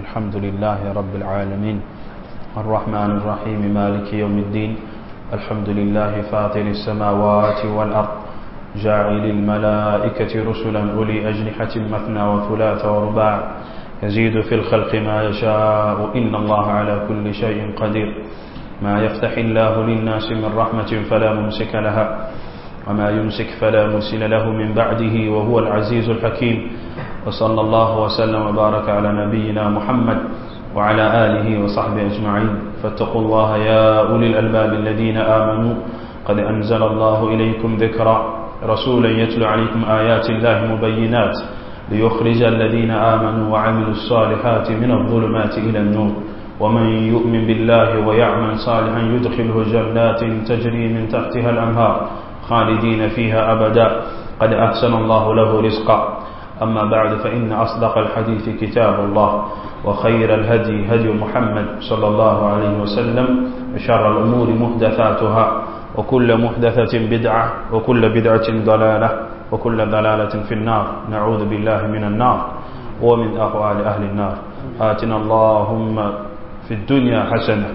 الحمد لله رب العالمين الرحمن الرحيم مالك يوم الدين الحمد لله فاطر السماوات والأرض جاعل الملائكة رسلا أولي أجنحة مثنى وثلاث ورباع يزيد في الخلق ما يشاء إن الله على كل شيء قدير ما يفتح الله للناس من رحمة فلا ممسك لها وما يمسك فلا مرسل له من بعده وهو العزيز الحكيم وصلى الله وسلم وبارك على نبينا محمد وعلى آله وصحبه أجمعين فاتقوا الله يا أولي الألباب الذين آمنوا قد أنزل الله إليكم ذكرا رسولا يتلو عليكم آيات الله مبينات ليخرج الذين آمنوا وعملوا الصالحات من الظلمات إلى النور ومن يؤمن بالله ويعمل صالحا يدخله جنات تجري من تحتها الأنهار خالدين فيها أبدا قد أحسن الله له رزقا أما بعد فإن أصدق الحديث كتاب الله وخير الهدي هدي محمد صلى الله عليه وسلم وشر الأمور محدثاتها وكل محدثة بدعة وكل بدعة ضلالة وكل ضلالة في النار نعوذ بالله من النار ومن أقوال أهل النار آتنا اللهم في الدنيا حسنة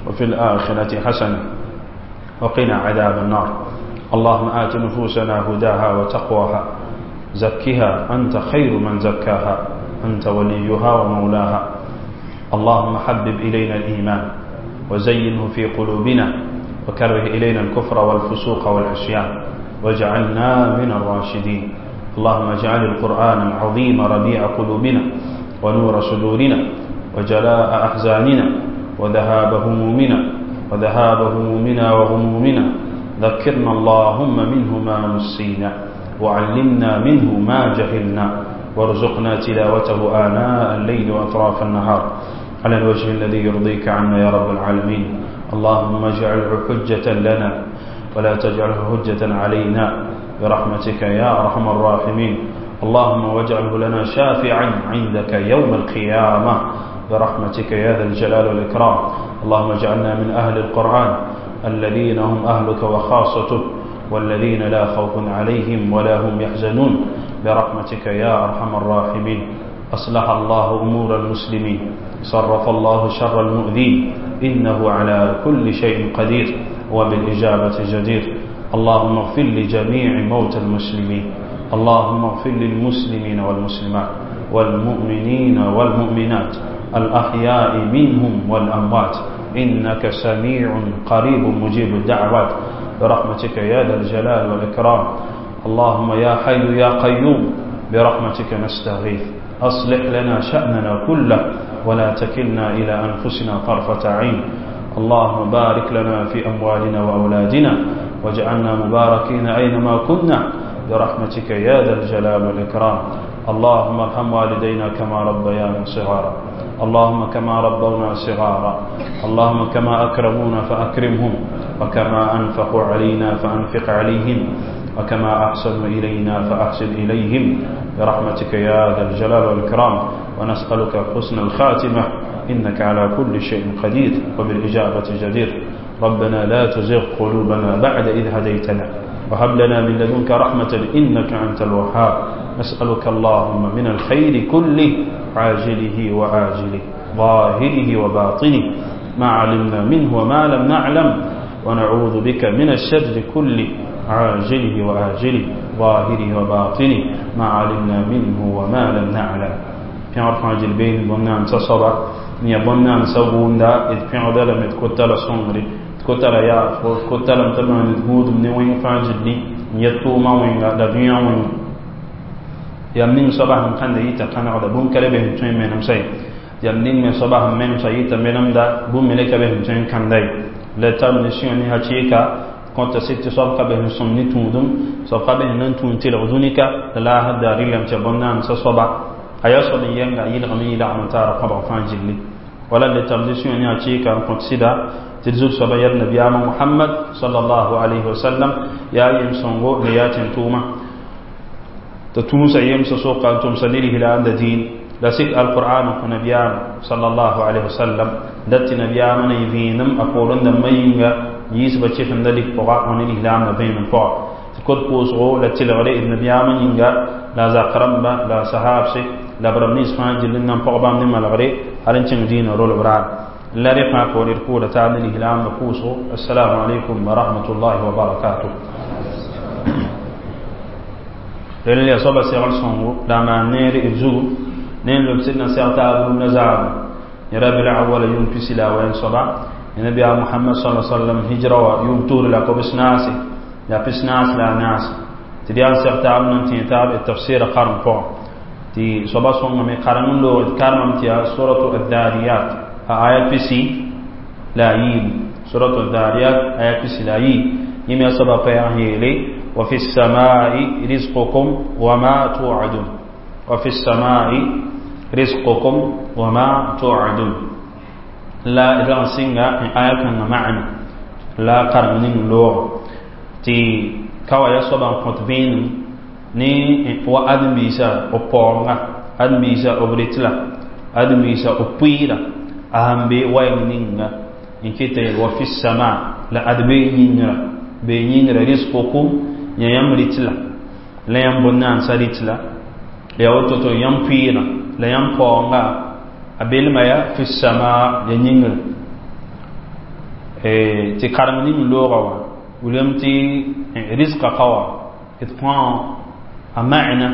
وفي الآخرة حسنة وقنا عذاب النار اللهم آت نفوسنا هداها وتقواها زكها أنت خير من زكاها أنت وليها ومولاها اللهم حبب إلينا الإيمان وزينه في قلوبنا وكره إلينا الكفر والفسوق والعصيان واجعلنا من الراشدين اللهم اجعل القرآن العظيم ربيع قلوبنا ونور صدورنا وجلاء أحزاننا وذهاب همومنا وذهاب همومنا وغمومنا ذكرنا اللهم منه ما نسينا وعلمنا منه ما جهلنا وارزقنا تلاوته آناء الليل وأطراف النهار على الوجه الذي يرضيك عنا يا رب العالمين اللهم اجعله حجة لنا ولا تجعله حجة علينا برحمتك يا أرحم الراحمين اللهم واجعله لنا شافعا عندك يوم القيامة برحمتك يا ذا الجلال والإكرام اللهم اجعلنا من أهل القرآن الذين هم أهلك وخاصتك والذين لا خوف عليهم ولا هم يحزنون برحمتك يا أرحم الراحمين أصلح الله أمور المسلمين صرف الله شر المؤذين إنه على كل شيء قدير وبالإجابة جدير اللهم اغفر لجميع موتى المسلمين اللهم اغفر للمسلمين والمسلمات والمؤمنين والمؤمنات الأحياء منهم والأموات إنك سميع قريب مجيب الدعوات برحمتك يا ذا الجلال والإكرام اللهم يا حي يا قيوم برحمتك نستغيث أصلح لنا شأننا كله ولا تكلنا إلى أنفسنا طرفة عين اللهم بارك لنا في أموالنا وأولادنا واجعلنا مباركين أينما كنا برحمتك يا ذا الجلال والإكرام اللهم ارحم والدينا كما ربيانا صغارا اللهم كما ربونا صغارا اللهم كما أكرمونا فأكرمهم وكما أنفقوا علينا فأنفق عليهم وكما أحسنوا إلينا فأحسن إليهم برحمتك يا ذا الجلال والإكرام ونسألك حسن الخاتمة إنك على كل شيء قدير وبالإجابة جدير ربنا لا تزغ قلوبنا بعد إذ هديتنا وهب لنا من لدنك رحمة إنك أنت الوهاب نسألك اللهم من الخير كله عاجله وآجله ظاهره وباطنه ما علمنا منه وما لم نعلم ونعوذ بك من الشر كله عاجله وآجله ظاهره وباطنه ما علمنا منه وما لم نعلم pẽgr fãa gil beene bõn-naamsã soaba n yaa bõn-naamsã gʋʋnda d pẽgda lame d kota la sõngre d kota la yaafgo d kota lame t'a maan d gũudum ne wẽng fãa gilli n yet tʋʋmã wẽnga la dũyã wẽnga yam ning soaba sẽn kãnda yita kãnegda bũmb ka le be sẽn tõe n menemsa ye yam ning me soaba sẽn menemsa yita menemda bũmb me le ka be sẽn tõe n kãnda ye la tar ne sũyã ne hakɩɩka kõta sɩd tɩ soab ka be sẽn sõm ne tũudum soab ka be sẽn na n tũud tɩlg dũnika la laasd daa rɩlame tɩ bõn-naamsã soaba a yaa soab n yɛnga a yɩlgame yɩlagm n taara kõbg fãa gilli wala le tar ne sũyã ne hakɩɩka n kõt sɩda tɩ d zug-soaba yɛl nabiyaamã Muhammad sallallahu alayhi wa sallam yaa yem-sõngo la yaa tẽn-tʋʋma t'a tũusa yemsã soka n tʋmsa ne lislaamda dĩin la sik alqur'an n kõ nabiyaam sallallahu alayhi wa sallam dat tɩ nabiyaamã na yɩ vẽenem a poorẽ dãmbã yĩnga yiisbã kɩsemda lik pʋga wã ne lislaamdã vẽenem pʋga tɩ kod koosgo la tɩlgre d nabiyaamã yĩnga la a zak rãmba la a sahaabse La b rãmb nins fãa gill n nan pag bãmb ne malgre hal n kẽng dĩinã rolb raar la rẽ fãa poor d pʋʋda taab ne lislaambã pʋʋsgo. Assalamu alaikum wa rahmatullahi wa barakatuh. Rel ya soaba segl sõngo la a maan neer d zugu ne n lob sɩd na seg taab rũndã zaame rabi l-awwala yʋʋm pisi la a wɛn soaba nabiya Muhammad sallallahu alaihi wasallam hijra wa yʋʋm tuur la kobs naase la pis naas la a naase tɩ d yaa n seg taab nan tẽ taab d tafsɩɩra karem pʋgã tɩ soaba sõngame karem n loog d karemame tɩ yaa suratu addariyat a aya pisi la a yiibu suratu addariyat aya pisi la a yiib yẽme yaa soaba pɛɛg n yeele wa fi السماء رزقكم وما توعدون وفي السماء رزقكم وما توعدون la rag sɩnga n aya kãngã maana la karem ning loog tɩ ka wa yaa soaba n kõt vẽenem ne wa ãdem-biisã b paoonga ãdem-biisã b rɩtla ãdem-biisã b pʋɩɩra a sẽn be waɩng ninga n kɩta yel wa fi sama la ad bee yĩngrã bee yĩngrã riskukum yã yãmb rɩtla la yãmb bõn-naandsã rɩtla la yaa woto tɩ yãmb pʋɩɩrã la yãmb paoonga a belma yaa fi sama ya yĩngrã tɩ karem ning looga wã wilame tɩ risqa ka wã d põa a ma'na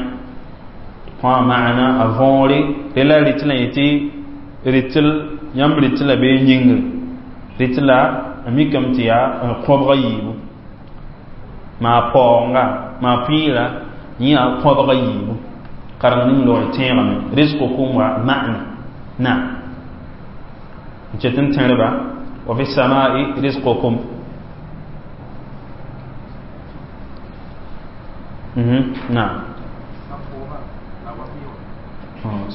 põa a ma'na a võore rela rɩtla yetɩ rɩtl yãmb rɩtla bee yĩngr rɩtla a mikame tɩ yaa kõbga yiibu maa paoonga maa pʋɩɩra yẽ yaa kõbga yiibu kareng ning loog tẽegame riskukum wa ma'na na n ket n tẽrba wa fi samai riskukum na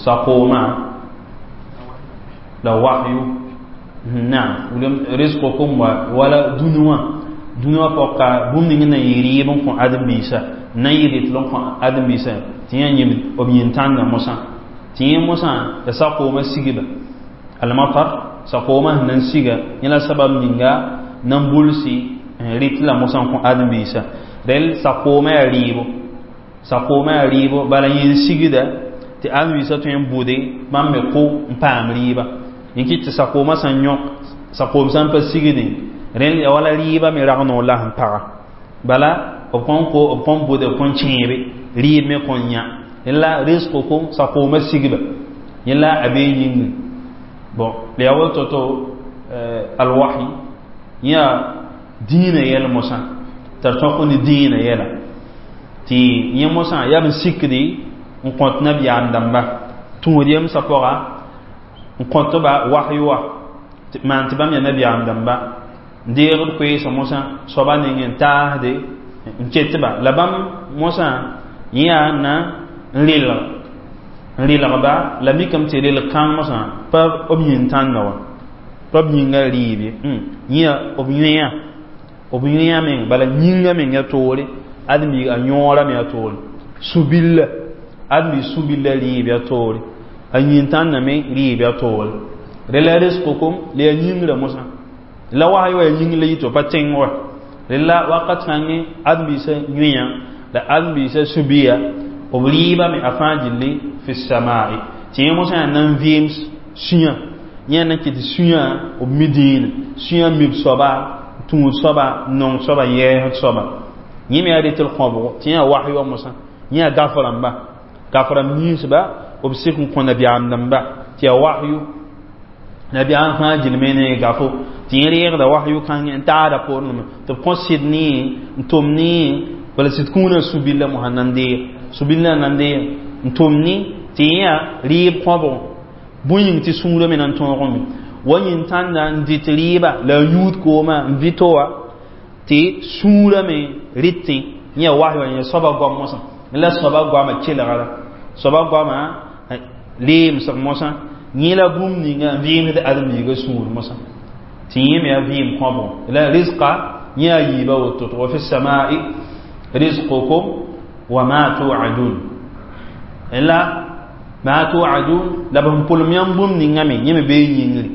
saqoma la wahyu naam risqukum wala dũni wã dũni wã pɔka bũmb ning na yɩ rɩɩb n kõ ãdem-biisã na yɩ rɩtl n kõ ãdem-biisã tɩ yã yẽmd b yĩn-tãndã mosã tɩ yẽ mosã ya sakoomã sigba almatar sakoomã sẽn na n siga yẽ la sabab ninga na n bulsi rɩtla mosã n kõ ãdem-biisã rel sakoomã yaa rɩɩbo sakoomã yaa rɩɩbo bala yẽ n sigda tɩ ãdem-biisã tõe n bʋde bãmb me kʋ n paam rɩɩba n kɩt tɩ sakoomã sẽn yõk sakoom sã n pa sigdẽ rẽnd ya wala rɩɩba me rag noor la sẽn paga bala b kõn ko b kõn bʋde b kõn kẽebe rɩɩb me kõn yã la riskukum sakoomã sigba yẽ la a bee yĩngẽ bon la yaa woto to alwahi yã dĩinã yɛl mosã t'a tõk ne dĩinã yɛla tɩ yẽ mosã yaa b n sikdi n kõt nabiyaam dãmba tũud yemsã pʋga n kõtba wahyu wã maan tɩ bãmb yaa nabiyaam dãmba n deegd koeesã mosã soaba neng n taasde n ketba la bãmb mosã yẽ yaa na n rɩlgba la mikame tɩ rɩlg kãng mosã pa b yĩn-tãndã wã pa b yĩnga rɩɩb ye yẽ b yõeã b yõeã meng bala yĩnga meng ya toore ãdem-biig a yõora me ya toore sũ-billa ãdem-biig sũ-billa rɩɩb ya toore a yĩn-tãndã me rɩɩb ya toore rela riskukum la yaa yĩngrã mosã la wasy wa yaa yĩng la yito pa tẽng wa rela wakat kãngẽ ãdem-biisã yõeã la ãdem-biisã sũ-biya b rɩɩba me a fãa gilli fi samai tɩ yẽ mosã yaa nan vɩɩm sũyã yẽ na kɩ tɩ sũyã b mi dĩinã sũyã mib soaba tũud soaba nong soaba yɛɛsd soaba yẽ me yaa rɩtl kõbgo tɩ yã wasy wa mosã yẽ yaa gaf rãmba gaf rãmb ninsba b sik n kõ nabiyaam dãmba tɩ yaa wahyu nabiyaam fãa gilme ne gafo tɩ yẽ reegda wahyu kãngẽ n taada poorẽ tɩ b kõ sɩd ne n tʋm ne bala sɩd kũunã su-billa mosã nan deeg su-billã nan deeg n tʋm ne tɩ yẽ yaa rɩɩb kõbgo bõe yĩng tɩ sũurã me na n tõogame wa yĩn-tãnda n dɩt rɩɩba la a yũud koomã n vɩto wa tɩ sũurã me rɩtẽ yẽ yaa wasy wa yẽ soaba goam mosã la soaba goamã kelgra soaba goamã leemsg mosã yẽ la bũmb ninga n vɩɩmsd ãdem-biigã sũur mosã tɩ yẽ me yaa vɩɩm kõbgo la risqa yẽ yaa yiiba woto tɩ wa fi samai risqukum wa ma tuadun la ma tuadun la b sẽn pʋlem yãmb bũmb ninga me yẽ me bee yĩngri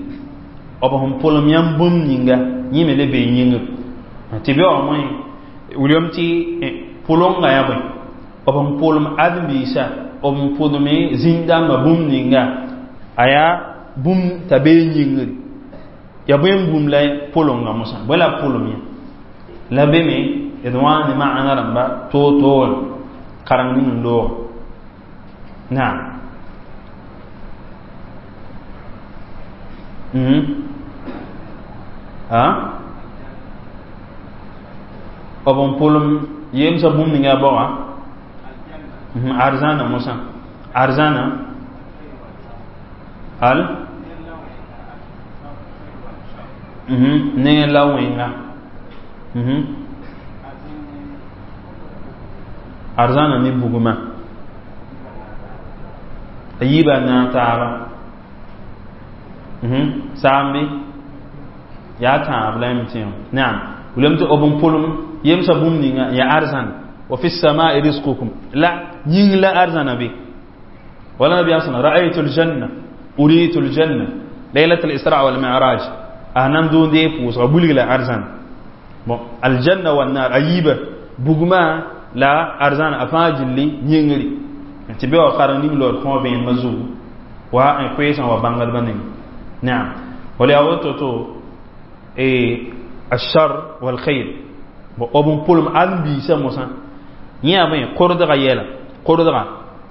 b sẽn pʋlem yãmb bũmb ninga yẽ me le bee yĩngr tɩ be wa moẽ wilame tɩ pʋlenga yaa bõe b sẽn pʋlem ãdem-biisã b pʋdme zĩn-dãmbã bũmb ninga a yaa bũmb t'a bee yĩngri ya bõe n bũmb la pʋlenga mosã bõe la b pʋlem yã la be me d wã ne maana rãmba toor-toore kareng ning n loog naam b n pʋlem yemsã bũmb ninga a baoã arzãna mosã arzãna al ne la wẽnga arzãna ne bugmã a yiibã naag taaba saambe yaa tãab la yãmb tẽ naam wilame tɩ b n pʋlem yemsã bũmb ninga ya arzãn wa fi samai rizqukum la yĩng la arzãna be wala nabiyaam sẽn ra'aytu aljanna uritu aljanna laylat al-isra wal mi'raj a nan dũndee pʋʋsga bulg la arzãn bon aljanna wan nar a yiiba bugmã la arzãn a fãa gilli yĩngri tɩ be wa kareng ning lood kõo vẽenemã zugu wa n koeesã wa bãngdbã neng naam wala yaa woto to الشر والخير b n pʋlem ãdem-biisã mosã yẽ yaa bõe kordga yɛla kordga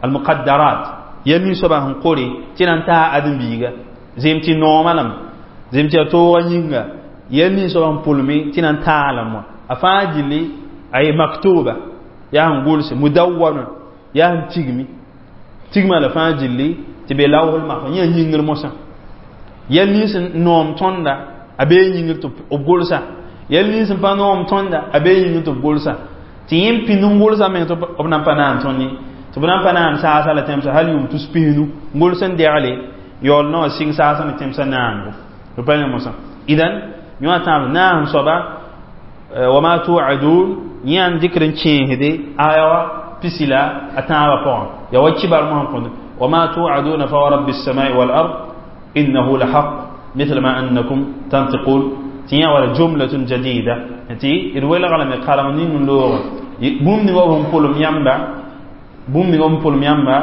almuqaddarat ya nin soaba sẽn kore tɩ na n taa ãdem-biiga zem tɩ noomã lame zem tɩ ya toogã yĩnga ya nin soaba sẽn pʋlme tɩ na n taa lame wã a fãa gilli ay maktuba yaa sẽn gʋlse mudawwana yaa sẽn tigmi tigmã la fãa gilli tɩ be lawsl mahfuz yẽ yĩngr mosã yɛl nins n noom tõnda a bee yĩngr tɩ b gʋlsa yɛl nins n pa noom tõnda a bee yĩngr tɩ b gʋlsa tɩ yẽ n pĩnd n gʋlsa meng tɩ b nan pa naan tõnd ye tɩ b nan pa naan saasa la tẽmsa hal yʋʋm tus pisnu gʋls n degle yaool naoã sɩng saasa ne tẽmsã naango b pa yã mosã idan yõ tãab naasem soaba wama tuadun yẽ n dɩkd n kẽesde aya wa pisi la a tãabã pʋgã ya wa kibar mosã kõnd wama tuaduna fa wa rabbi السماء والأرض إنه لحق مثل ما أنكم تنطقون tɩ yã wala jumlatun jadida tɩ d welga lame kareng ning n loogã bũmb ninga b sẽn pʋlem yãmba bũmb ninga b sẽn pʋlem yãmba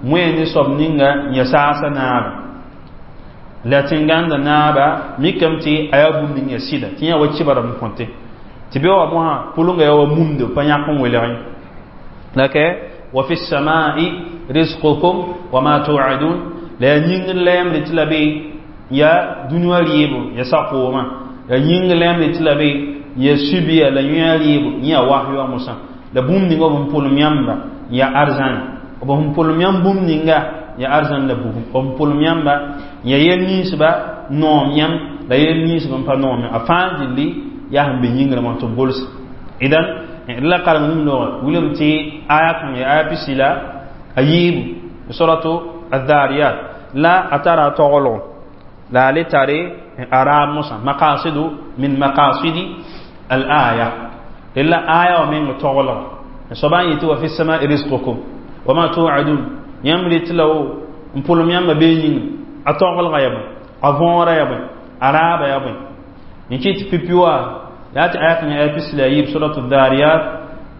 moe ne soab ninga n ya saasa naaba la tẽnganda naaba mikame tɩ a yaa bũmb ning ya sɩda tɩ yã wa kibr n kõte tɩ be wa mosã pʋlenga yaa wa mumde pa yãk n welg ye la ka wa fi samai rizqukum wa ma tuadun la yaa yĩngr la yãmb tɩ la be ya dũniyã rɩɩbo ya sakoomã ya yĩngr la yãmb tɩ la be ya subiya la yõa rɩɩbo yẽ ya wahyu wã mosã la bũmb ninga b sẽn pʋlem yãmba ya arzãn b sẽn pʋlem yãmb bũmb ninga ya arzãn la bugum b sẽn pʋlem yãmba ya yɛl ninsba noom yãmb la yɛl ninsb n pa noom a fãa gilli yaa sẽn be yĩngrã wã tɩ b gʋls idan d la kareng ning loogã wilame tɩ aya kãng ya aya pisi la a yiibu suratu adhariyat la a tara a taglgo la a le tare araab mosã maqasidu min maqasidi al aya la aya wã meng taglga soaba n yetɩ wa fi samai rizqukum wa ma tuadun yãmb ret la wo n pʋlem yãmba bee yĩnga a taglga ya bõe a võora ya bõe a raaba ya bõe n kɩt pipi wa yaa tɩ aya kãngã aya pis la a yiib suratu dhariyat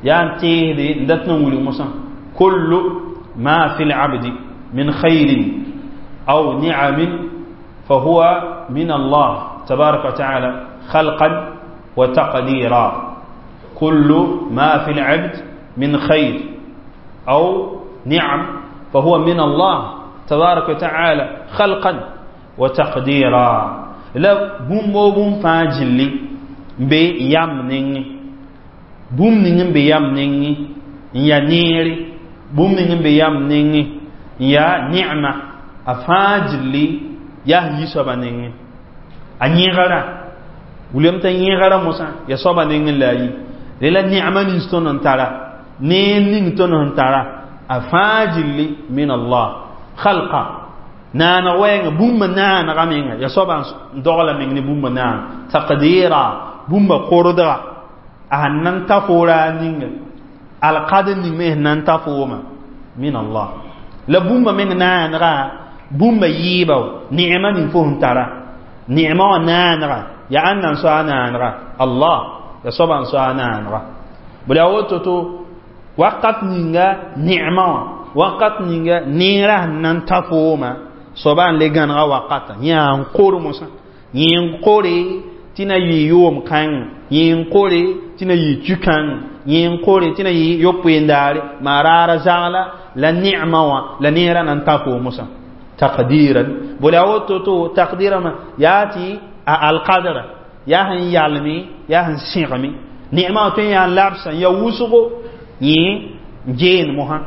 yaa n tẽesde n dat n wilg mosã kullu ma fi labdi min khayrin aw ni'amin فهو من الله تبارك وتعالى خلقا وتقديرا كل ما في العبد من خير أو نعم فهو من الله تبارك وتعالى خلقا وتقديرا la bũmb o bũmb fãa gilli n be yam nengẽ bũmb ning n be yam nengẽ n yaa neere bũmb ning n be yam nengẽ n yaa ne'ma a fãa gilli yaa yi soaba nengẽ a yẽgera wilame t'a yẽgera mosã ya soaba nengẽ la a yi la ne'ma nins tõnd n tara neer ning tõnd sẽn tara a fãa gilli min Allah khalqa naaneg wɛɛngã bũmba naanega menga ya soaba n dogla meng ne bũmba naan taqdira bũmba kordga a sẽn nan ta fo raar ninga alqadr ning me sẽn nan ta fooma min Allah la bũmba meng naanega bũmba yɩɩba ne'ma ning fo sẽn tara ne'ma wã naanega ya ãnna n so a naanega Allah ya soaba n so a naanega bala yaa woto to wakat ninga ne'ma wã Wakat ninga neerã sẽn na n ta fooma, soaba n le gãnega wakata yã n kor mosã, yẽ n kore tɩ na yɩ yoom kãng, yẽ n kore tɩ na yɩ tũ-kãng, yẽ n kore tɩ na yɩ yo-poendaare, maa raara zagla la ne'ma wã la neerã na n ta foom mosã taqdiran. Bala woto to taqdira ma yaa tɩ a alqadra yaa sẽn yalme, yaa sẽn sẽgme ne'ma wã tõe n yaa labsã ya wʋsgo, yẽ n geen mosã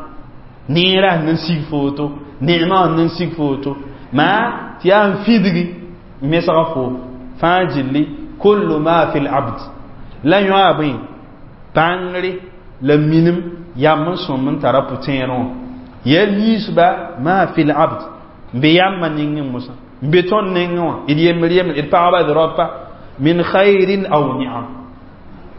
neerã sẽn na n sig foto, ne'ma wã n na n sig foto maa tɩ yaa n fidgi n mesga fo fãa gilli. Kullu ma fi labd la yõa bõe bãngre la minim yam n sõm n tara pʋ-tẽerẽ wã yɛl ninsba ma fi labd n be yambã nengẽ mosã n be tõnd nengẽ wã, d yembr yembr, d pagba, d raopa, min khairin aw ni'am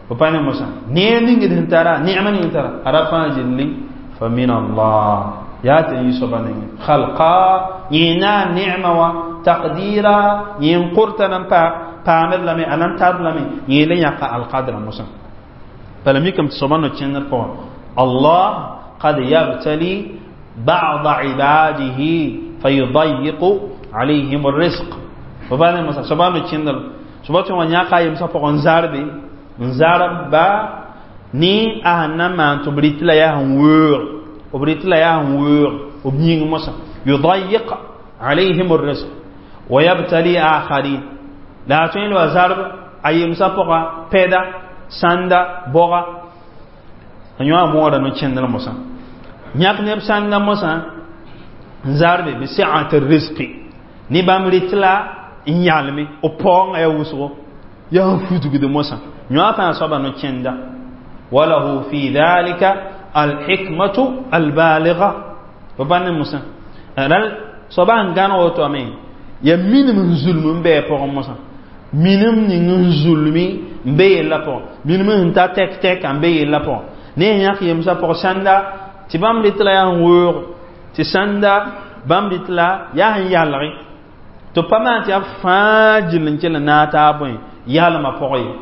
fo pa ne mosã neer ning d sẽn tara, ne'ma ning tara a ra fãa gilli fa min Allah yaa tɩ yɩ soaba nengẽ khalqa yẽ na n ne'ma wã taqdira, yẽ n korta nan pa paamd lame, a nan tar lame, yẽ le yãka alqadra mosã. Bala mikame tɩ soaba no-kẽndr pʋgã Allah qad yabtali ba'd ibadihi fayudayiqu alayhim الرزق. Fo pa ne mosã soaba no-kẽndr soaba tõe wã yãka a yemsã pʋgẽ n zarbe n zarb ba ne a sẽn na n maan tɩ b rɩt la yaa sẽn weoog, b rɩt la yaa sẽn weoog b yĩng mosã yudayiq alayhim الرزق wa yabtali akharin la a tõe n wa zarb a yemsã pʋga pɛda sãnda bɔga a yõ a moora no-kẽndr mosã yãk neb sãnda mosã n zarbe bi si'at rizqi ne bãmb rɩt la n yalme b paoongã yaa wʋsgo yaa n fudgd mosã yõ fãa soaba no-kẽnda. Walahu fi dhalika alhikmatu albaligha fo pa ne mosã ral soaba sẽn gãneg wotome ya minim n zulm n bɩ a pʋgẽ mosã, minim ning n zulmi n be yella pʋgẽ, minim sẽn ta tɛk tɛka n be yella pʋgẽ ne yãk yemsã pʋg sãnda tɩ bãmb rɩt la yaa n weoog, tɩ sãnda bãmb rɩt la yaa sẽn yalge tɩ pa maan tɩ yaa fãa gill n kell n naag taab bõe yalmã pʋgẽ ye,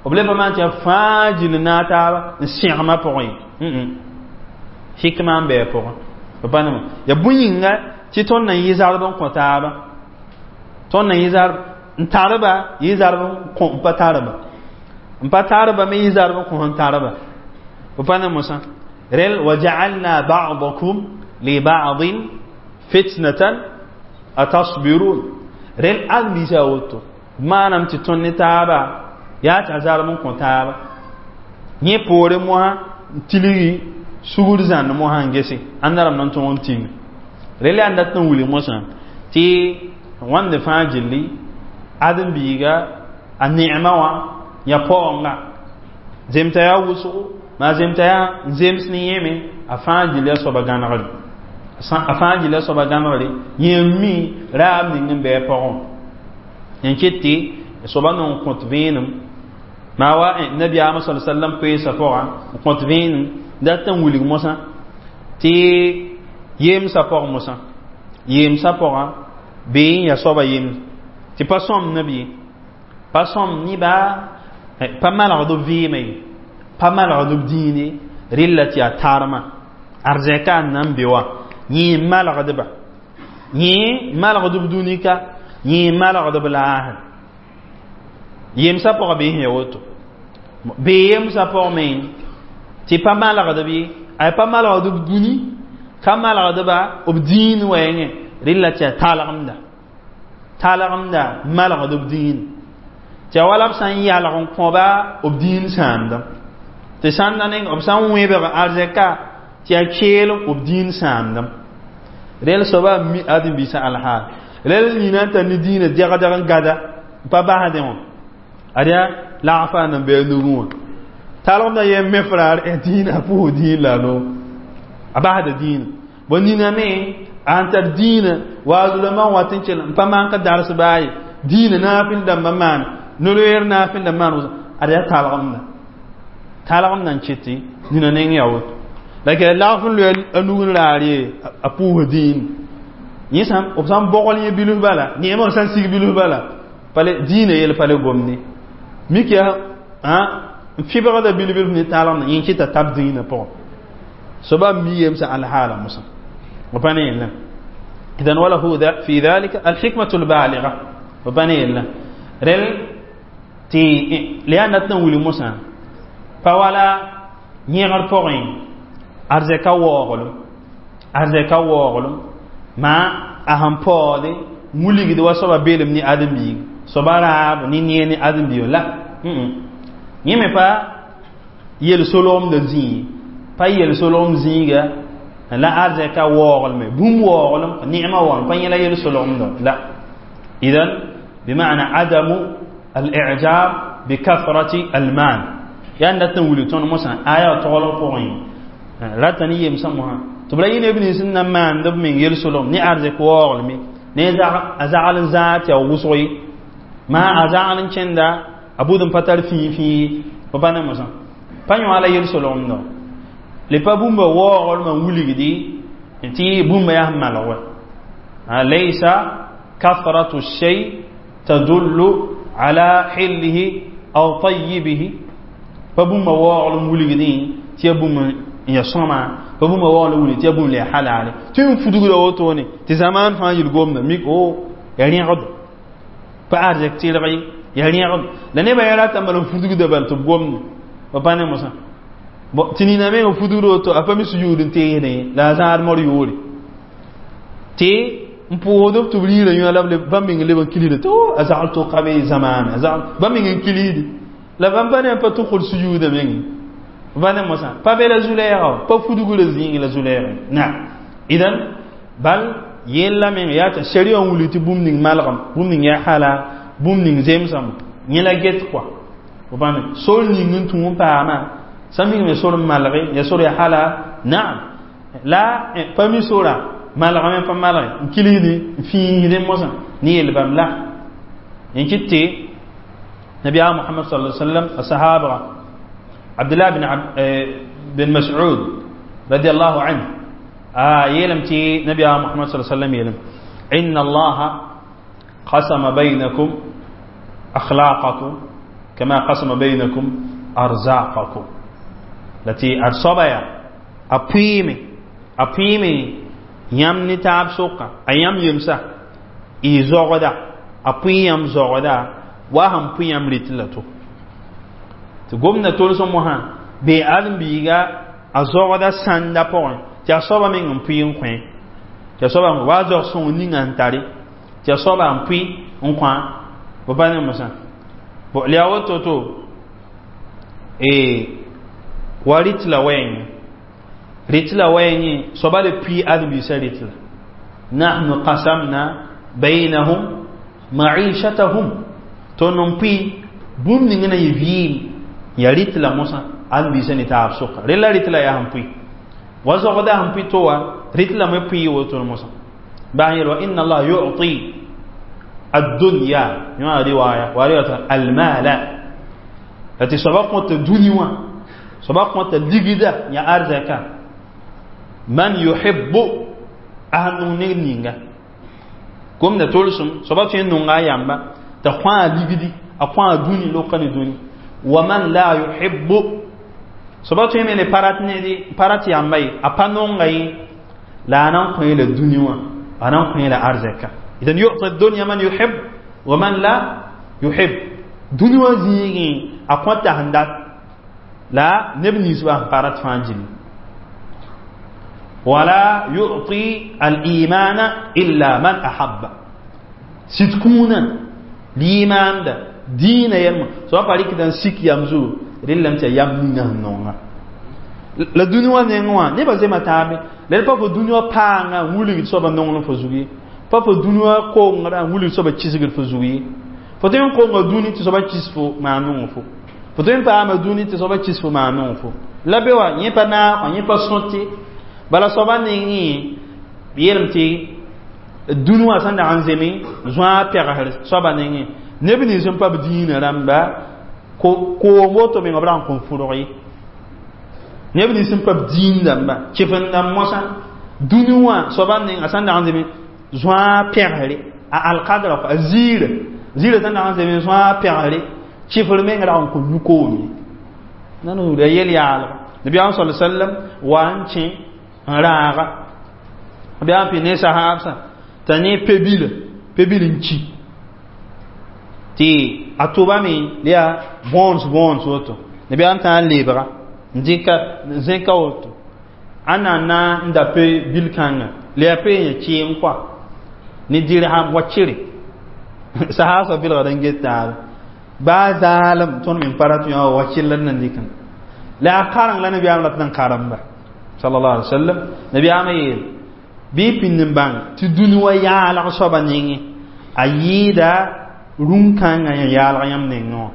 b le pa maan tɩ yaa fãa gill n naag taaba n sẽgmã pʋgẽ ye, hikma n bɩ a pʋgẽ. B pa nema ya bũn yĩnga tɩ tõnd na n yɩ zarb n kõ taaba, tõnd na yɩ zarb n tarba, yɩ zarb n kõ n pa tarba, n pa tarba me yɩ zarb n kõ n tarba. B pa ne mosã rel wa ja'alna ba'dakum li ba'din fitnatan atasbirun rel ãn bisa woto maanam tɩ tõnd ne taaba yaa tɩ a zarb n kõ taaba yẽ poore mosã n tilgi sugr zãnd mosã n gese ãnda rãmb na n tõog n ting rel yaa n dat n wilg mosã tɩ wãnde fãa gilli ãdem-biiga a ne'ma wã ya paoonga zemta yaa wʋsgo maa zemta yaa n zems ne yẽme a fãa gilli a soaba gãnegre, a fãa gilli a soaba gãnegre yẽ n mi raab ning n bɩ a pʋgẽ n ket tɩ soaba non kõt vẽenem maa wa nabiyaamã sa sallam koeesã pʋgã n kõt vẽenem dat n wilg mosã tɩ yemsã pʋg mosã yemsã pʋgã bɩ n ya soaba yems tɩ pa sõm neb ye, pa sõm nebã, pa malgd b vɩɩmã ye, pa malgd b dĩine rɩlla tɩ yaa tarma arzɛka n na n be wã yẽ n malgdba, yẽ malgd b dũnika, yẽ malgd b laasr yemsã pʋgã bɩ sẽn ya woto bɩ yemsã pʋgẽ me tɩ pa malgdb ye, a pa malgd b dũni ka malgdba b dĩin wɛɛngẽ rɩlla tɩ yaa talgemda, talgemda malgd b dĩin tɩ yaa wala b sã n yalg n kõba b dĩin sãamdã tɩ sãnda neng b sã n wẽbg arzɛka tɩ yaa keel b dĩin sãamdã rel soaba mi ãdem-biisã alhaal rel nina n tar ne dĩinã dɛgdg n gada n pa basdẽ wã ad yaa lagfã n bɩ a nugẽ wã talgemda yen me fraar dĩinã a pʋʋs dĩin la a noog a basda dĩinã bõe nina me a sẽn tar dĩinã waazurãmbã n wat n kell n pa maan ka dars baa ye dĩinã naafɩl dãmbã maan no-loeer naafɩl dãmb maan ad yaa talgemda, talgemda n ket tɩ nina neng yaa woto la kɛ lagf n loe a nug n raar ye a pʋʋs dĩin yẽ sã b sã n bogl yẽ bilf bala neemã sã n sig bilf bala pale dĩinã yel pa le gomde mik yaa n fɩbgda bil-bilf ne talgemda yẽ kɩta tab dĩinã pʋgẽ soaba mi yemsã alhaala mosã. وبني إذن وله في ذلك الحكمة البالغة. وبني رل تي لأن تنولي موسى فولا يغر بوغين أرزكا وغلو أرزكا وغلو ما أهم بودي مولي دوا سبا بيلم ني آدم بي سبا راب ني ني ني آدم بي لا يمي با يل سولوم د زي pa yel solom zĩiga la arzɛka waooglme bũmb waooglem neema waoglem pa yẽla yel solgemdã la. Idan bima'na adamu al-i'jab bi kathrati al-mal yaa n dat n wilg tõnd mosã aya toglg pʋgẽ rata ne yemsã mosã tɩ b ra yɩ neb nins n na maand b meng yel solgem ne arzɛk waooglme ne a zagl n zãag tɩ yaa wʋsg ye maa a zagl n kẽnda a bʋd n pa tar fĩi fĩi pa pa ne mosã pa yõ la yel solgemdã le pa bũmba waooglmã n wilgdi tɩ bũmba yaa sẽn malg wa laysa kathratu shay tadullu ala hillihi aw tayyibihi pa bũmba waoogl n wilgdẽ tɩ ya bũmb n ya sõma pa bũmba waoogl n wilgd tɩ ya bũmb la ya halale tɩ n fudgda wotone tɩ zamaan fãa yel gomda mik o ya rẽgd pa arzɛk tɩrg ye ya rẽgd la nebã ya rata n bal n fudgda bal tɩ b gomde pa pa ne mosã tɩ nina meng n fudgd woto a pa mi sujuud n teesdẽ la a zãad mor yoore tɩ n pʋʋsd b tɩ b riirã yõ la bãmb meng leb n kilsda tɩ o a zagl tʋka be zamaana bãmb meng n kilsdi la bãmb pa ne pa tʋkd sujuudã menge pa ne mosã pa be la zu-lɛɛga pa fudgrã zĩig la zu-lɛɛga na idan bal yella meng yaa tɩ sharia n wilg tɩ bũmb ning malgem bũmb ning yaa hala bũmb ning zemsame yẽ la get kɔa fo bãmb sor ning n tũ n paama sã mik me sor n malge ya sor ya hala naam la pa mi sora malgame pa malge n kilsdi n fĩisdẽ mosã ne yel bãmb la n kɩt tɩ nabiyaam Muhammad sallallahu alaihi wasallam a sahabra Abdullah bin Mas'ud radiyallahu anhu yeelame tɩ nabiyaam Muhammad sallallahu alaihi wasallam yeelame inna Allah qasama baynakum akhlaqakum kama qasama baynakum arzaqakum la tɩ ad soaba yaa a pʋɩɩme yãmb ne taab sʋka a yãmb yemsa y zogda a pʋɩ yãmb zogda wa sẽn pʋɩ yãmb rɩt la to tɩ gomda tols mosã bee ãdem-biiga a zogda sãnda pʋgẽ tɩ a soaba meng n pʋɩ n kõ tɩ a soaba wa a zog sõng ninga n tare tɩ a soaba n pʋɩ n kõ b pa ne mosã la yaa woto to wa rɩt la wɛɛngẽ rɩt la wɛɛngẽ soaba le pʋɩ ãdem-biisã rɩt la nahnu qasamna baynahum ma'ishatahum tõnd n pʋɩ bũmb ning na yɩ vɩɩm ya rɩt la mosã ãdem-biisã ne taab sʋka rel la rɩt la yaa sẽn pʋɩ wa zogda sẽn pʋɩ to wa rɩt la me pʋɩ woto mosã baa n yeel wa inna allah yu'ti ad-dunya yõ riwaya wa riwaya al-mala la tɩ soaba kõta dũni wã soaba kõta ligda ya arzaka man yuhibbu a sẽn nong ned ninga gomda tolsem soaba tõe n nonga a yamba t'a kõ a ligdi a kõ a dũni loka ne dũni wa man la yuhibbu soaba tõe me le pa rat yamba ye a pa nonga ye la a nan kõ la dũni wã a nan kõ la arzaka idan yu'ti ad-dunya man yuhib wa man la yuhib dũni wã zĩigẽ a kõta sẽn dat la neb nins bã sẽn pa rat fãa gilli wala yu'ti al-imana illa man ahabba sɩd kũunã liimaanda diinã yɛlmã soaba pa rɩkda n sik yam zugu rellame tɩ yaa yam ninga sẽn nonga la dũni wã neng wã nebã zema taabe la d pa fo dũni wã paanga n wilgd soaba nonglem fo zug ye pa fo dũni wã kongrã n wilgd soaba kisgd fo zug ye fo tõe n konga dũni tɩ soaba kis fo maan nong fo fo tõe n paama dũni tɩ soaba kis fo maan nong fo la be wa yẽ pa naag yẽ pa sõte bala soaba nengẽ yeelame tɩ dũni wã sẽn dag n zeme zõa pɛgsr soaba nengẽ neb nins n pa b dĩinã rãmba koom woto meng b ra n kõn fʋrg ye neb nins n pa b dĩin dãmba kɩf n dãmb mosã dũni wã soaba neng a sẽn dag n zeme zõa pɛgsre a alkadra a ziirã ziirã sẽn dag n zeme zõa pɛgsre kɩfr meng ra n kõn yũ koom ye nan a yel yaalga nabiyaam sal sallam wa n kẽ n raaga Nabiyaam pɩ ne sahaabsã t'a ne pebila pebil n ki tɩ a tʋbame la yaa bõons bõons woto nabiyaam tã n lebga n dɩka zẽka woto a na na n da pe-bil kãnga la yaa pe yã kɩɩm kɔa ne dirham wakɩre sahaabsã bilgd n get taaba baa zaalem tõnd me n pa rat yã wakɩr la d na n dɩkã la a kareng la nabiyaam rat n karemba sallallahu alaihi wasallam. Nabiyaamã yeel bɩ pĩnd n bãng tɩ dũni wa yaalg soaba nengẽ a yɩɩda rũn-kãngã yã yaalg yãmb nengẽ wã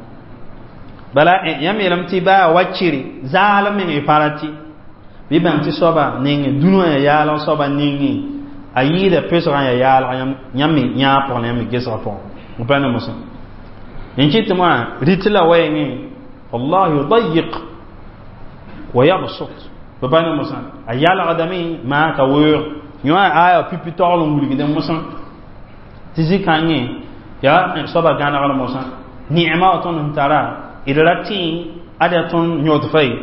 bala yãmb yeelame tɩ baa wakɩre zaalem meng y pa rat bɩ bãng tɩ soaba nengẽ dũni wã yã yaalg soaba nengẽ a yɩɩda pesgã ya yaalg yãmb me yãag pʋgẽ la yãmb me gesgã pʋgẽ pa ne mosã n kɩt tɩ moã rɩt la wɛɛngẽ Allah yudayiq wa yabsut pa ne mosã a yalgdame maa ka weoog yõ a aya pipi togl n wilgdẽ mosã tɩ zĩ-kãngẽ yaa soaba gãnegr mosã neema wa tõnd sẽn tara d ra tẽ ad yaa tõnd yõd fa ye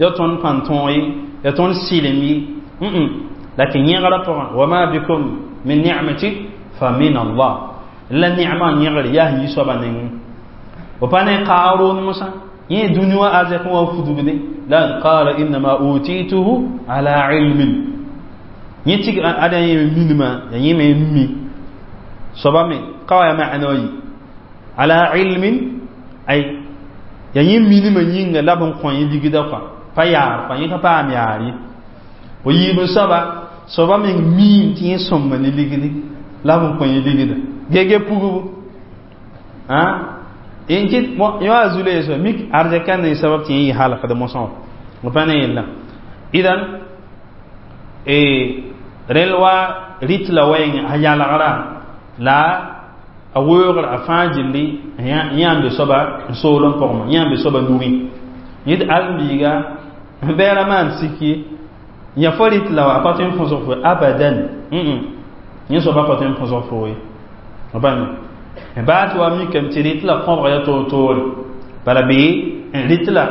yaa tõnd pãn-tõog ye yaa tõnd sɩlem ye lakin yẽgrã pʋgẽ wama bikum min ni'mati fa min Allah la neema n yẽgre yaa sẽn yi soaba nengẽ fo pa ne Qaaruun mosã yẽ dũni wã arzɛk wã fudgde la qala innama utituhu ala ilmin yẽ tɩ ada yẽ minima ya yẽ me mi soaba me ka wa ya ma'ana yi ala ilmin ay ya yẽ minima yĩnga la b n kõ yẽ ligda kɔa pa yaar kɔa yẽ ka paam yaar ye fo yiib n soaba soaba meng miim tɩ yẽ sõmba ne ligdi la b n kõ yẽ ligda gege pugbu n kɩt yõ a zu-loeesã mik arzɛka ne sabab tɩ yẽ yɩ halkd mosã wã pa ne yella idan rel wa rɩt la wɛɛngẽ a yalgra la a weoogr a fãa gilli yã n be soaba n soolem pʋgẽ yã n be soaba nugẽ yẽ tɩ ãlembiiga bɛɛra maan sik ye yã fo rɩt la wa a pa tõe n põsg fo abadan yẽ soaba pa tõe n põsg fo ye pa baa tɩ wa mikame tɩ rɩt la kõbg ya toor-toore bala bee rɩt la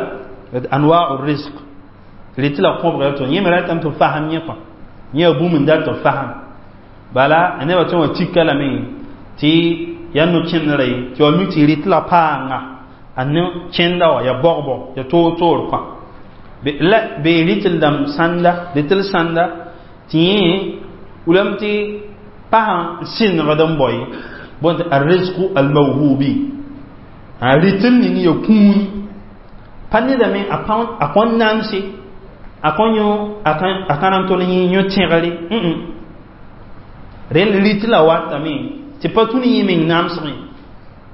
anwau risq rɩt la kõbg ya toor yẽ me ratame tɩ fasem yẽ kõ yẽ ya bũmb n dat tɩ fasem bala a nebã tõe wã tika lame tɩ yaa no-kẽndrã ye tɩ wa mik tɩ rɩt la paanga a no-kẽnda wã ya bɔgbɔ ya toor-toor kõ la bee rɩtl dãmb sãnda rɩtl sãnda tɩ yẽ wilame tɩ pasã n sɩnegd n bao ye bõn tɩ arrizqu almawhubi a rɩtl ning ya kũuni pa nedame a kõn namse a kõn yõ a ka na n tol yẽ yõ tẽgre rel rɩt la watame tɩ pa tũ ne yẽ meng namsgẽ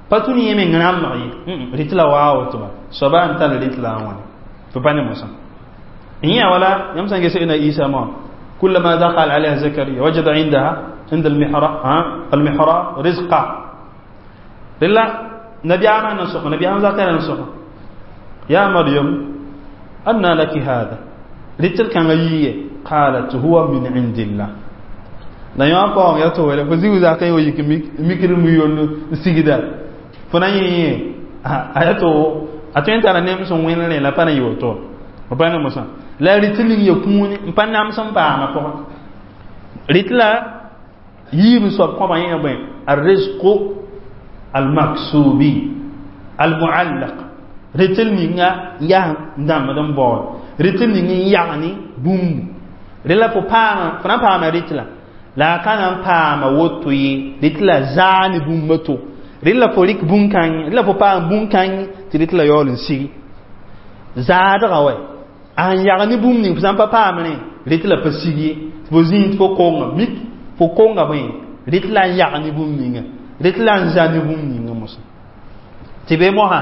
pa tũ ne yẽ meng rãmbg ye rɩt la waa woto ba soaba n tar rɩt la a wãne tɩ pa ne mosã yẽ wala yãmb sã n ges na Isa moa كلما دخل عليها زكريا وجد عندها عند المحراب المحراب رزقا لله نبي عام نسخ نبي عام زكريا نسخ يا مريم أنى لك هذا رتل كان قالت هو من عند الله la yõ paoong ya tɩ wele fo zĩ zaka yẽ wa yik mikr mu yoll n sigda fo na yẽ yẽ a ya tɩ a tõe n tara nem sẽn wẽn rẽ la pa na yɩ woto f pa ne mosã la rɩt ning ya kũuni n pa nams n paama pʋgẽ rɩt la yiib n soab kõba yẽ bõe arrizqu almaksubi almuallaq rɩtl ninga yaa n dãmbd n baood rɩtl ning n yagni bũmbu rẽ la fo paama fo na n paama rɩt la a ka na n paama woto ye rɩt la zaa ne bũmba to rɩt la fo rɩk bũn-kãng rɩt la fo paam bũn-kãng tɩ rɩt la yaool n sigi zaadga wɛ a n yag ne bũmb ning fo sã n pa paamrẽ rɩt la pa sig ye tɩ fo zĩig tɩ fo konga mik fo konga bõe rɩt la n yag ne bũmb ninga rɩt la n za ne bũmb ninga mosã tɩ be mosã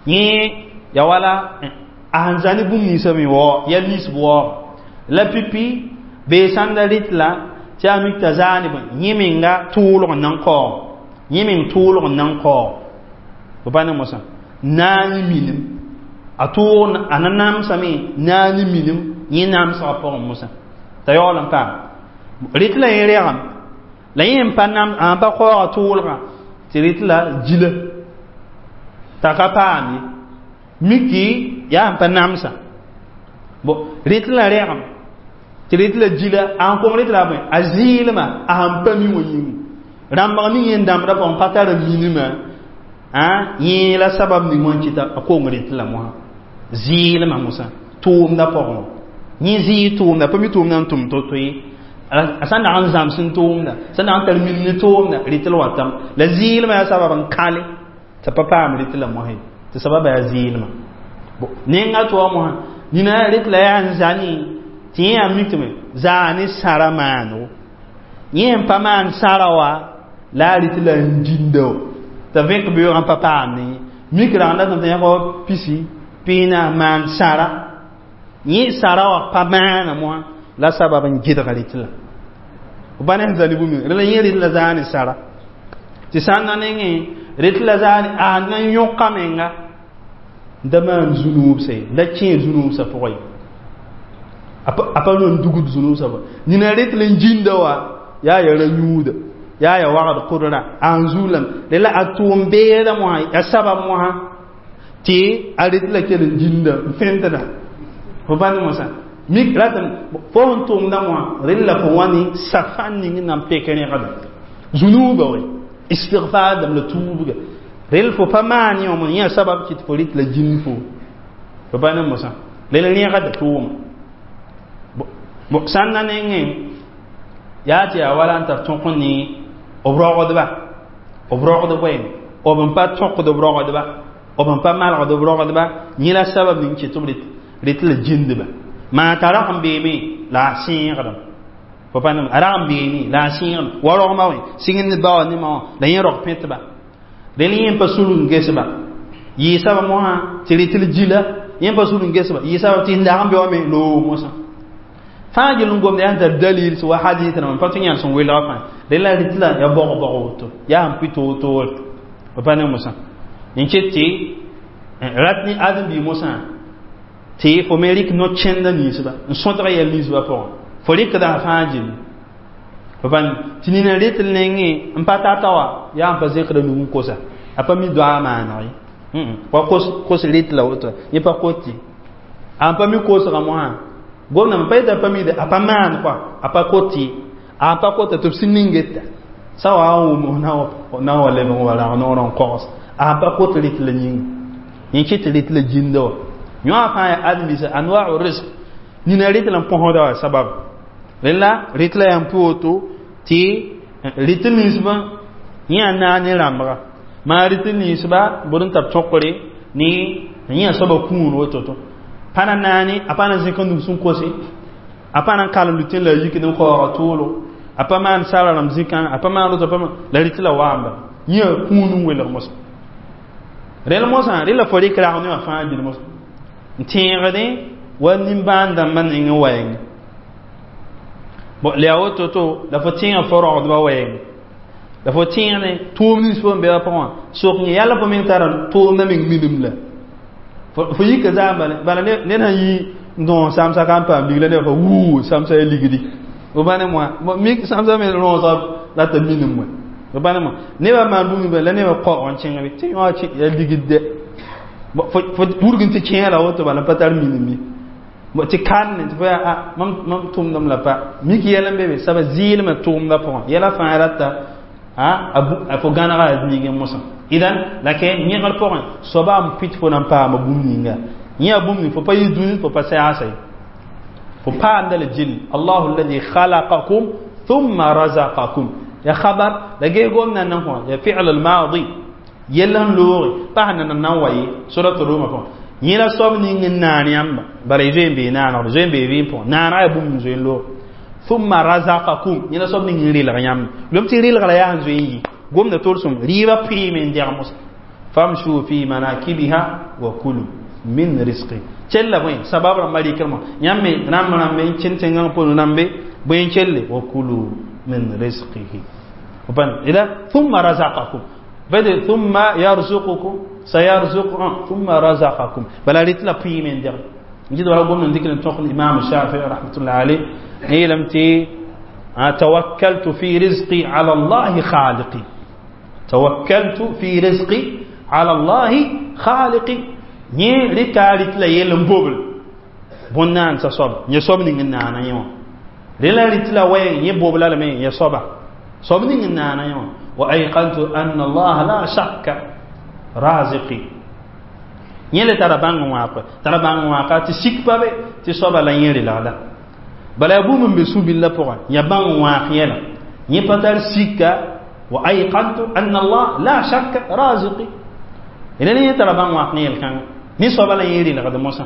yẽ ya wala a sẽn za ne bũmb ninsã me wao ya lisb waoog la pipi bee sãnda rɩt la tɩ a mik t'a zaa ne bõe yẽ menga tʋʋlg n na n kaoog yẽ meng tʋʋlg n na n kaoog fo pa ne mosã naani minim a tʋʋg a na namsame naani minim yẽ namsgã pʋgẽ mosã t'a yaool n paam rɩt la yẽ rɛgem la yẽ n pa nam a pa kaooga tʋʋlgã tɩ rɩt la gila t'a ka paam ye miki yaa n pa namsa bo rɩt la rɛgem Tɩ rɩt la gila a sẽn kong rɩt la a bõe a zɩɩlmã a sẽn pa mi wã yĩng rãmbg ning yẽn dãmbdã pʋgẽ pa tar n minimã yẽ la sabab ning wã n kɩta a kong rɩt la mosã zɩɩlmã mosã tʋʋmdã pʋgẽ wã yẽ zɩɩ tʋʋmda pa mi tʋʋmdã n tʋm to-to ye a sã n dag n zãms n tʋʋmda sã n dag n tar min ne tʋʋmda rɩt l watame la zɩɩlmã yaa sabab n kale t'a pa paam rɩt la mosã ye tɩ sababa yaa zɩɩlmã nenga tɩ wa mosã nina rɩt la yaa n zani tɩ yẽ yaa mik tɩ me zaa ne sãra maando yẽ n pa maan sãra wa la a rɩt la n ginda wa t'a vẽk beoogã pa paam ne mik rãng datame tɩ yãk wa pisi pĩinã maan sãra yẽ sãra wã pa maana mosã la sabab n gɩdg rɩt la b pa ne sẽn zali bũmb rẽ la yẽ rɩt la zaa ne sãra tɩ sã n na nengẽ rɩt la zaa ne a na n yõka menga da maan zu-nuubsa ye da kẽe zu-nuubsã pʋgẽ ye a pa n dugd zu-nuubsã pʋgẽ nina rɩt la n ginda wa yaa ya ra-yũuda yaa ya wagd kʋdra a n zug lame rẽ la a tʋʋm beedã mosã ya sabab mosã tɩ a rɩt la kell n ginda n fẽntda fo bãnd mosã mik ratame fo sẽn tʋʋmda mosã rẽnd la fo wã ne safan ning n na n pek rẽgda zu-nuubã we istigfar dãmb la tuubga rel fo pa maan yõ mo yã sabab kɩt fo rɩt la gĩnd fo fo pa ne mosã rel rẽgda tʋʋma sã n na nengẽ yaa tɩ yaa wala n tar tõk ne b rogdba b rogd bõe b n pa tõkd b rogdba b n pa malgd b rogdba yẽ la sabab ning kɩt b rɩt la gĩndba maa t'a rag n beeme la a sẽegdem fo pa a rag n beene la a sẽegdem wa rogmã wẽ sɩng ne ba wã ne ma wã la yẽ rog pẽtba rel yẽ pa sul n gesba yɩɩ sabab mosã tɩ rɩt l gila yẽ pa sul n gesba yɩɩ sabab tɩ n dag n be wã me loog mosã fãa gel n gomda yaa n tar dalil sẽn wa hadith rãmba pa tɩ yãr sẽn welga fãa rel la rɩt la ya bog-bog woto yaa sẽn pʋɩ toor-toore fo pa ne mosã n ket tɩ rat ne ãdem-biig mosã tɩ fo me rɩk no-kẽnda ninsba n sõtg yɛl ninsbã pʋgẽ fo rɩkda fãa gilli fo pa tɩ nina rɩt l nengẽ n pa tata wa yaa n pa zẽkda nug n kosa a pa mi doa maaneg ye wa kos rɩt la woto yẽ pa kot ye a n pa mi kosga mosã gomdame pa yeta pa mide a pa maan kɔa a pa kot ye a n pa kota tɩ b sẽn ningeta sã wa n wʋm na n wa leb n wa rag noorã n kogs a n pa kot rɩt la yĩnga yẽ kɩt rɩt la ginda wa yõa fãa yaa ãdem-biisã anwau risq nina rɩt la n põsda wa sabab rẽla rɩt la yaa n pʋ woto tɩ rɩt ninsbã yẽ yaa naag ne rãmbga maa rɩt ninsba bʋd n tar tõkre ne yẽ soaba kũun woto-to pa na naane a pa na zẽk n nus n kose a pa na n kalem lutẽ la a yikd n kaooga toolo a pa maan sara rãmb zĩkã a pa maan roto pa la rɩt la waamba yẽ kũun n welg mosã rẽl mosã rẽ la fo rɩk rag ne wã fãa gil mosã n tẽegdẽ wa nimbãan dãmbã ning n waɛng la yaa woto-to la fo tẽega fo rogdbã wɛɛng la fo tẽegdẽ tʋʋm nins fo n be wã pʋgẽ wã sok yẽ yãl fo meng tara tʋʋmdã meng minim la fo yika zaam bala ned sãn yi n dõos sãmsa ka n paam lig la neb fa wuu sãmsa ya ligdi fo bã ne moa mik sãmsa me rõosga la t'a minim wɛ fo bã ne moa nebã maan bũmb la nebã kaoog n kẽng be tɩ yõ ya ligd dɛ fo wurg n tɩ kẽe la woto bala n pa tar minim ye tɩ kanne tɩ fo yaa a mam tʋmdame la pa mik yɛl n be be saba zɩɩlmã tʋʋmdã pʋgẽ yɛla fãa rata a fo gãnega a niigẽ mosã idan la ke yẽgr pʋgẽ soaba n pɩt fo na n paama bũmb ninga yẽ a bũmb ning fo pa yɩ dũni fo pa sɛgsa ye fo paamda la gill allahu alladi khalaqakum thumma razaqakum ya khabar la gee gomna nan kõ ya fi'l al-madi yell n looge pa sẽn na nan wa ye surat ruma pʋgẽ yẽ la soab ning n naan yãmba bala y zoe n bee naanegd zoe n bee vɩɩm pʋgẽ naanega yaa bũmb n zoe n loog thumma razaqakum yẽ la soab ning n relg yãmba lom tɩ relgra yaa n zoe n yi gomda tolsem rɩɩbã pɩɩme n dɛg mosã famshu fi manakibiha wa kulu min risqi kella bõe sabab rãmbã rɩkrmã yãmb me rãmb rãmbe n kẽn tẽngã pʋgẽ rãmbe bõe n kelle wa kulu min risqihi ila thumma razaqakum bade thumma yarzuqukum sayarzuqukum thumma razaqakum bala rɩt la pɩɩme n dɛg n gɩd wala gomd n dɩk n tõk imam Shafi'i rahmatullah alayh yeelame tɩ tawakkaltu fi rizqi ala allahi khaliqi tawakkaltu fi rizqi ala allahi khaliqi yẽ rɩka rɩt la yell n bobl bõn-naandsã soab yẽ soab ning n naana yẽ wã Rẽla rɩt la wɛɛng yẽ bobla lame ya soaba soab ning n naana yẽ wã. Wa ayqantu anna allaha la shakka raziqi. Yẽ le tara bãng n wãak, tara bãng n wãaka tɩ sik pa be tɩ soaba la yẽ relgda. Bala yaa bũmb n be sũ-billã pʋgã, ya bãng n wãak yɛla yẽ pa tar sika. Wa ayqantu anna allah la shakka raziqi. Rẽla yẽ tara bãng wãak ne yel-kãngã ne soaba la yẽ relgd mosã.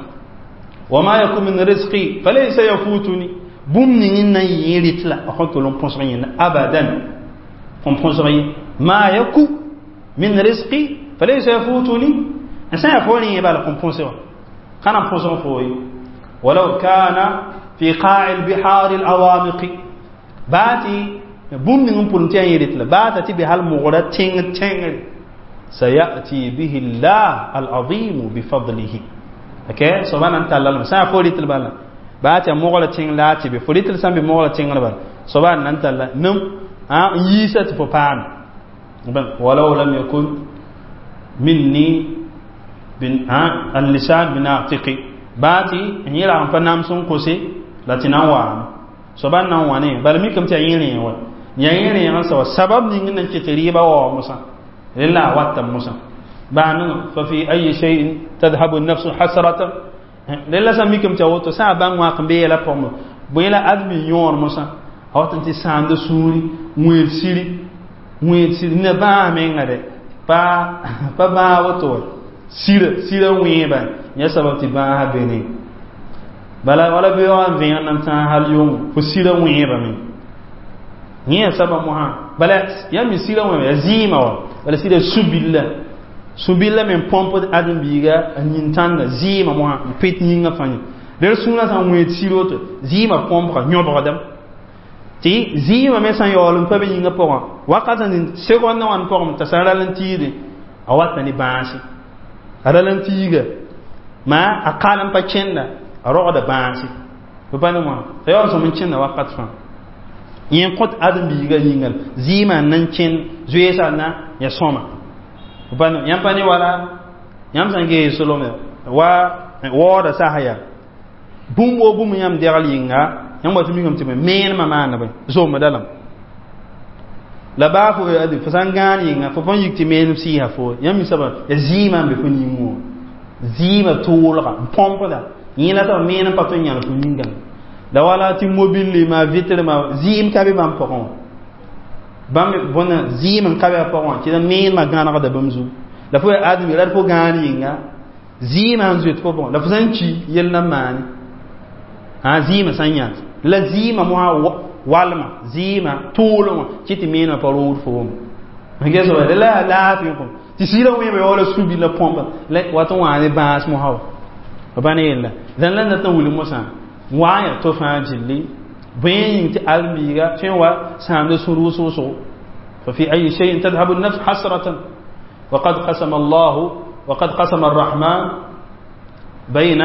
Wa ma yakun min rizqi falaysa yafutuni. Bũmb ning n na n yẽ rɩt la a kõn tol n põsg yẽnda abadan, kõn põsg ye. Ma yaku min rizqi falaysa yafutuni, n sã yaa fo rẽ bala kõn põsg wã ka na n põsg fo ye. Walau kana fi qa'i albihar alawamiqi, baa tɩ bũmb ning n pʋlem tɩ yaa yẽ rɩt la baa t'a tɩ be hal mogra tẽng tẽngre, sayati bihi llah alazim bifadlihi. Okay, soaba na n talla lame sã yaa fo rɩt l bala baa tɩ a mogra tẽng la a tɩ be fo rɩt l sã n be mogra tẽngr bala soaba n na n talla nem n yiisa tɩ fo paame. Walau lam yakun minni al-lisan binatiqi, baa tɩ n yẽ rag n pa nams n kose la tɩ na n waame soaba n na n wa ne bala mikame tɩ yaa yẽ rẽeg wa, yaa yẽ rẽeg n sa wa sabab ning n na n ket rɩɩbã waoog mosã rẽ la a wata mosã baa ninga. Fa fi ayi shay'in tadhhabu an-nafsu hasratan, rẽ la sã mikame tɩ a woto sã a bãng wãk n be yɛla pʋgẽ bõe la admi yõor mosã a wat n tɩ sãamda sũuri wẽed siri, wẽed siri ne bãas menga dɛ pa bãag woto wa sira sira wẽeba yã sabab tɩ bãasã be ne bala wala beoogã n vẽeg nan tãag hal yʋngo fo sira wẽebame yẽ ya sabab mosã. Bala yaa mi sira wẽeba yaa zɩɩmã wa bala sira sũ-billa, sũ-billa me n põmpd ãdem-biiga a yĩn-tãnda zɩɩmã mosã n pet yĩngã fãa yẽ rel sũurã sã n wẽed sir woto zɩɩmã põmpga yõbgdame tɩ zɩɩmã me sã n yaool n pa be yĩngã pʋgã wakat n segondã wãn pʋgẽ t'a sã n ral n tiide a wata ne bãase a ral n tiiga maa a kal n pa kẽnda a rogda bãase fo pa ne wã t'a yaool sõm n kẽnda wakat fãa yẽ n kõt ãdem-biiga yĩnga zɩɩmã n na n kẽnd zoeesã na ya sõma fo pa ne yãmb pa ne wala yãmb sã n gees solome wa waooda sasa yaa bũmb woo bũmb yãmb degl yĩnga yãmb wa tɩ mikame tɩ meenmã maanda bõe zomda lame la baa fo ade fo sã n gãan yĩnga fo põn yik tɩ meenem sɩɩsa fo yãmb mi soaba ya zɩɩmã n be fo yĩngẽ wã zɩɩmã toolga n põmpda yẽ la t'a meenem pa tõe n yãl fo yĩngã la wala tɩ mobile ma vitre ma zɩɩm ka be bãmb pʋgẽ wã bãmb bõna zɩɩm n ka be a pʋgẽ wã tɩ la meenmã gãnegda bãmb zugu la fo yaa admi la d fo gãan yĩnga zɩɩmã n zoet fo pʋgẽ la fo sã n ki yell na n maane a zɩɩmã sã n yãs la zɩɩmã mosã walma zɩɩmã toolẽ wã kɩ tɩ meenmã pa rood foom ges la yaa laafɩ kõ tɩ sɩɩrã wẽeba yaoola sũ-billa põmba la wat n wã ne bãas mosã wa f pa ne yella dãn la dat n wilg mosã wa n yaa to fãa gilli bõe yĩng tɩ ãdem-biiga tõe n wa sãamda sũur wʋsg-wʋsgo. Fa fi ayi shay'in tadhhabu an-nafs hasratan وقد قسم الله وقد قسم الرحمن بين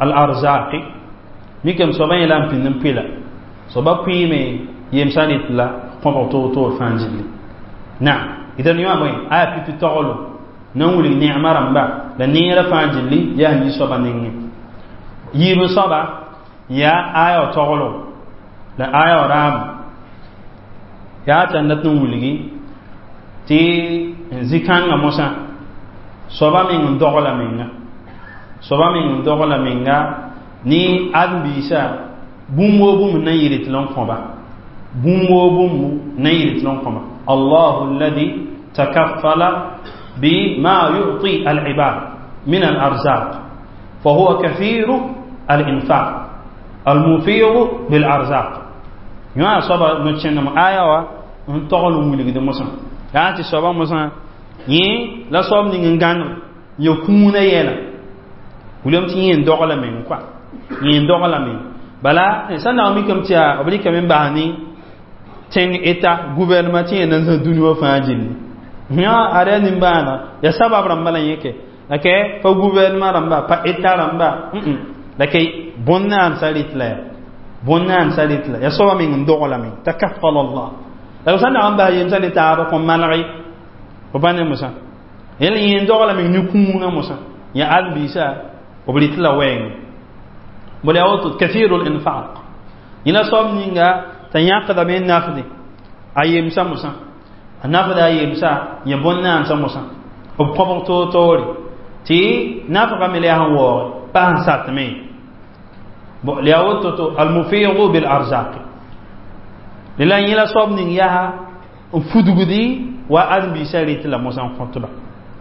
الأرزاق. mikame soaba yẽ la n pĩnd n pɩla soaba pʋɩɩme yemsã rɩt la kõbg toor-toor fãa gilli naam idan yõ bõe aya pipi toglo na n wilg neema rãmba la neerã fãa gilli yaa yi soaba nengẽ yiib soaba yaa aya wa toglo la aya wa raam yaa tɩ a dat n wilgi tɩ zĩ-kãngã mosã soaba meng n dogla menga soaba meng n dogla menga ne ãdem-biisã bũmb woo bũmb na n yɩl tɩ la n kõba bũmb woo bũmb na n yɩl tɩ la n kõba. Allahu alladi takaffala bima yu'ti al-ibad min al-arzaq fa huwa kathiru al-infaq al-mufiru bil-arzaq. Yõ soaba no-kẽndem aya wã n togl n wilgd mosã yaa tɩ soaba mosã yẽ la soab ning n gãneg ya kũunã yɛla wilame tɩ yẽ n dogla meng kɔa yẽ n dogla meng bala sã n dag mikame tɩ yaa b rɩkame n bas ne tẽng eta gouvernement tɩ yẽ na n zã dũni wã fãa gilli yã ada nimbãana ya sabab rãmba la yẽ ke la kɛ pa gouvernement rãmba pa eta rãmba la ke bõn-naam sa rɩt la ya bõn-naam sa rɩt la ya soaba meng n dogla meng takaffala Allah la sã n dag n bas yemsã ne taaba kõn maneg fo pa ne mosã yẽl yẽ n dogla meng ne kũunã mosã ya ãdem-biisã b rɩt la wɛɛngẽ bala yaa woto kathiru linfaq Yẽla soab ninga t'a yãkdame n nafde a yemsa mosã, a nafda a yemsa yẽ bõn-naansã mosã b kõbg toor-toore tɩ nafgame la yaa sẽn waoog pa sẽn satme. Bon, la yaa woto to almufidu bil arzaqi la yẽla soab ning yaa n fudgdi wa ãdem-biisã rɩt la mosã n kõtba,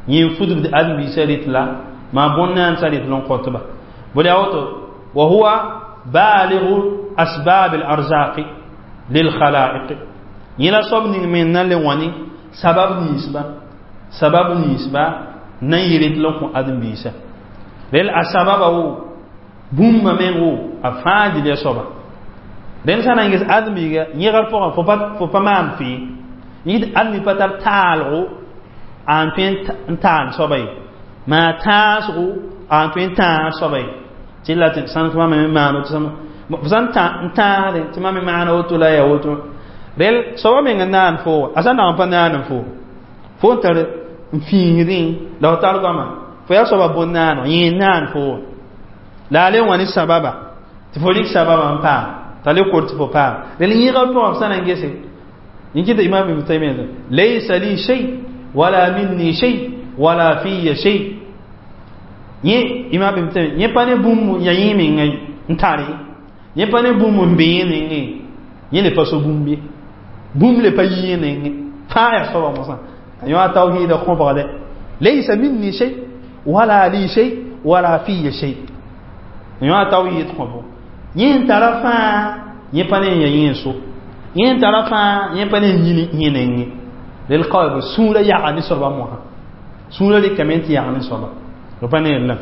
yẽ n fudgd ãdem-biisã rɩt la maa bõn-naansã rɩt la n kõtba. Bõ la yaa woto wa huwa balighu asbab al arzaqi lil khalaiq. Yẽla soab ning me n na n le wãne sabab ninsba, sabab ninsba na n yɩ rɩt la n kõ ãdem-biisã. Rel a sababa wo bũmba meng wo a fãa dɩl ya soaba. Rẽnd sã na n ges ãdem-biiga yẽgr pʋgã, fo pa maan fɩ yẽ ãdem pa tar taalgo a n tõe n taan soaba ye, maa tãasgo a n tõe n tãag soaba ye, tɩ la tɩ sãn tɩ mam me maan woto, f sãn n tãagdẽ tɩ mam me maana woto la ya woto. Rel soaba meng n naan fo, a sã n dag n pa naan fo, fo n tar n fĩisdẽ la f tar goama, fo yaa soaba bõn-naaneg, yẽ n naan fo la a le wã ne sababa tɩ fo rɩk sababa n paam t'a le kor tɩ fo paam. Rel yẽgr pʋgã f sã na n gese yẽ kɩta Imam Ibn Taymiya: laysa li shay wala minni shay wala fiya shay. Yẽ Imam Ibn Taymiya yẽ pa ne bũmb ya yẽ menga n tare, yẽ pa ne bũmb n be yẽ nengẽ, yẽ le pa so bũmb ye, bũmb le pa yi yẽ nengẽ, fãa yaa soaba mosã. A yõ a tawhiida kõbgdɛ: laysa minni shay wala li shay wala fiya shay. Yõ a tawhid kõbo, yẽ n tara fãa, yẽ pa ne n ya yẽ so, yẽ n tara fãa, yẽ pa ne n yĩni yẽ nengẽ. Rel kaoe sũurã yaga ne soaba mosã, sũurã rɩkame tɩ yag ne soaba b pa ne lam.